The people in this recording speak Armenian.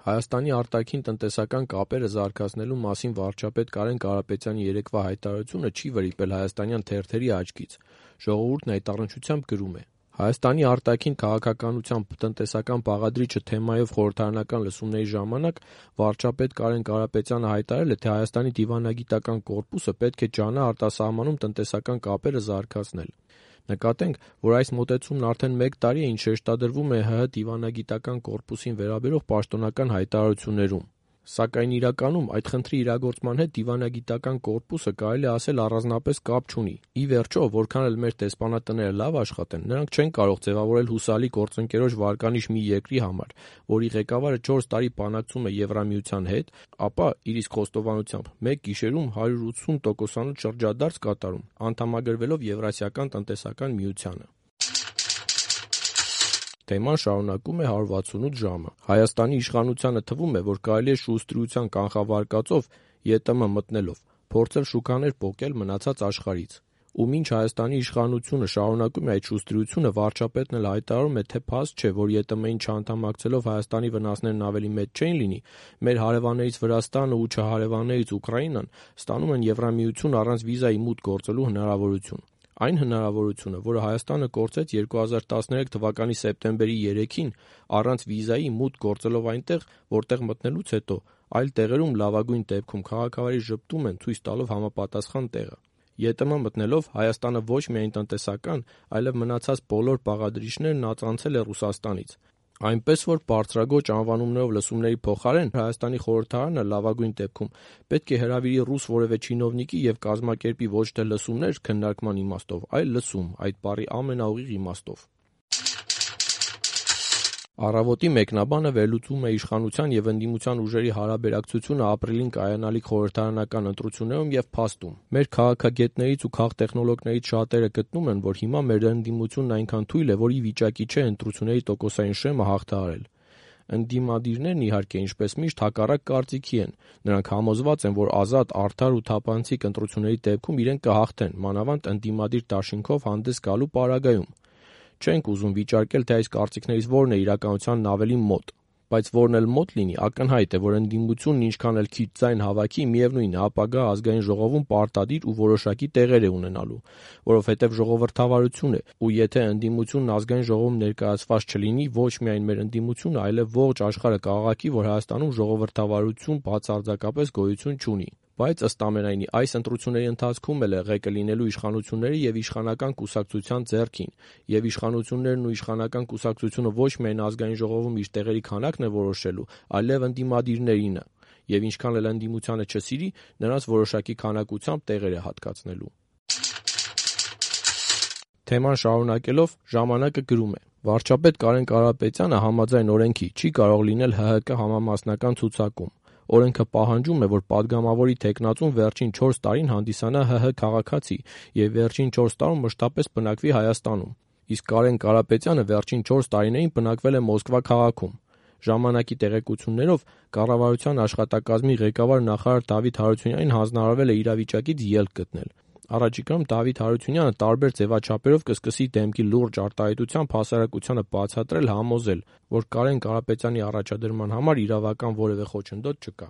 Հայաստանի արտաքին տնտեսական կապերը զարգացնելու մասին վարչապետ Կարեն Կարապետյանի երեկվա հայտարարությունը չի վրիպել հայաստանյան թերթերի աչքից։ Ժողովուրդն այդ առնչությամբ գրում է. Հայաստանի արտաքին քաղաքականության տնտեսական բաղադրիչը թեմայով խորհրդարանական լսումների ժամանակ վարչապետ Կարեն Կարապետյանը հայտարարել է, թե Հայաստանի դիվանագիտական կորպուսը պետք է ջանա արտասահմանում տնտեսական կապերը զարգացնել։ Նկատենք, որ այս մոտեցումն արդեն 1 տարի է, ինչ շեշտադրվում է ՀՀ դիվանագիտական կորպուսին վերաբերող պաշտոնական հայտարարություններում։ Սակայն իրականում այդ խնդրի իրագործման հետ դիվանագիտական կորպուսը կարելի է ասել առանձնապես կապ չունի։ Ի վերջո, որքան էլ մեր դեսպանատները լավ աշխատեն, նրանք չեն կարող ձևավորել հուսալի գործընկերոջ վարկանիշ մի երկրի համար, որի ղեկավարը 4 տարի բանակցում է Եվրամիության հետ, ապա իր իսկ խոստովանությամբ մեկ գիշերում 180%-անոց շրջադարձ կատարում, անդամագրվելով Եվրասիական տնտեսական միությանը։ Թեման շարունակում է 168 ժամը։ Հայաստանի իշխանությանը թվում է, որ կարելի է շուստրության կանխավարկածով ԵՏՄ մտնելով փորձել շուկաներ պոկել մնացած աշխարհից։ Ու մինչ Հայաստանի իշխանությունը շարունակում է այդ շուստրությունը, վարչապետն էլ հայտարարում է, թե փաստ չէ, որ ԵՏՄ-ին չանդամակցելով Հայաստանի վնասներն ավելի մեծ չեն լինի, մեր հարևաններից Վրաստանը ու չհարևաններից Ուկրաինան ստանում են Եվրամիություն առանց վիզայի մուտք գործելու հնարավորություն։ Այն հնարավորությունը, որը Հայաստանը կորցրեց 2013 թվականի սեպտեմբերի 3-ին առանց վիզայի մուտք գործելով այնտեղ, որտեղ մտնելուց հետո այլ տեղերում լավագույն դեպքում քաղաքավարի ժպտում են, ցույց տալով համապատասխան տեղը։ ԵՏՄ մտնելով Հայաստանը ոչ միայն տնտեսական, այլև մնացած բոլոր բաղադրիչներն ածանցել է Ռուսաստանից։ Այնպես որ բարձրագոյն անվանումներով լսումների փոխարեն Հայաստանի խորհրդարանը լավագույն դեպքում պետք է հրավիրի ռուս որևէ չինովնիկի և կազմակերպի ոչ թե լսումներ քննարկման իմաստով, այլ լսում, այդ բառի ամենաուղիղ իմաստով։ Առավոտի մեկնաբանը վերլուծում է իշխանության և ընդդիմության ուժերի հարաբերակցությունը ապրիլին կայանալիք խորհրդարանական ընտրություններում և փաստում։ Մեր քաղաքագետներից ու քաղտեխնոլոգներից շատերը գտնում են, որ հիմա մեր ընդդիմությունն այնքան թույլ է, որ ի վիճակի չէ ընտրությունների տոկոսային շեմը հաղթահարել։ Ընդդիմադիրներն իհարկե, ինչպես միշտ, հակառակ կարծիքի են։ Նրանք համոզված են, որ ազատ, արդար ու թափանցիկ ընտրությունների դեպքում իրենք կհաղթեն, մանավանդ ընդդիմադիր դաշինքով հանդես գալու պարագայում։ Չենք ուզում վիճարկել, թե այս կարծիքներից որն է իրականությանն ավելի մոտ, բայց որն էլ մոտ լինի, ակնհայտ է, որ ընդդիմությունն ինչքան էլ քիչ ձայն հավաքի, միևնույն է, ապագա ազգային ժողովում պարտադիր ու որոշակի տեղեր է ունենալու, որովհետև ժողովրդավարություն է, ու եթե ընդդիմությունն ազգային ժողովում ներկայացված չլինի, ոչ միայն մեր ընդդիմությունը, այլև ողջ աշխարհը կաղաղակի, որ Հայաստանում ժողովրդավարություն բացարձակապես գոյություն չունի։ Բայց ըստ ամենայնի, այս ընտրությունների ընթացքում էլ է ղեկը լինելու իշխանությունների և իշխանական կուսակցության ձեռքին, և իշխանություններն ու իշխանական կուսակցությունը ոչ միայն ազգային ժողովում իր տեղերի քանակն է որոշելու, այլև ընդդիմադիրներինը, և ինչքան էլ ընդդիմությանը չսիրի, նրանց որոշակի քանակությամբ տեղեր է հատկացնելու։ Թեման շարունակելով ժամանակը գրում է. Վարչապետ Կարեն Կարապետյանը համաձայն օրենքի չի կարող լինել ՀՀԿ համամասնական ցուցակում։ Օրենքը պահանջում է, որ падգամավորի թեկնածուն վերջին 4 տարին հանդիսանա ՀՀ քաղաքացի և վերջին 4 տարում մշտապես բնակվի Հայաստանում։ Իսկ Կարեն Կարապետյանը վերջին 4 տարիներին բնակվել է Մոսկվա քաղաքում։ Ժամանակի տեղեկություններով կառավարության աշխատակազմի ղեկավար նախարար Դավիթ Հարությունյանին հանձնարարվել է իրավիճակից ելք գտնել։ Առաջիկայում Դավիթ Հարությունյանը տարբեր ձևաչափերով կսկսի դեմքի լուրջ արտահայտությամբ հասարակությանը բացատրել, համոզել, որ Կարեն Կարապետյանի առաջադրման համար իրավական որևէ խոչընդոտ չկա։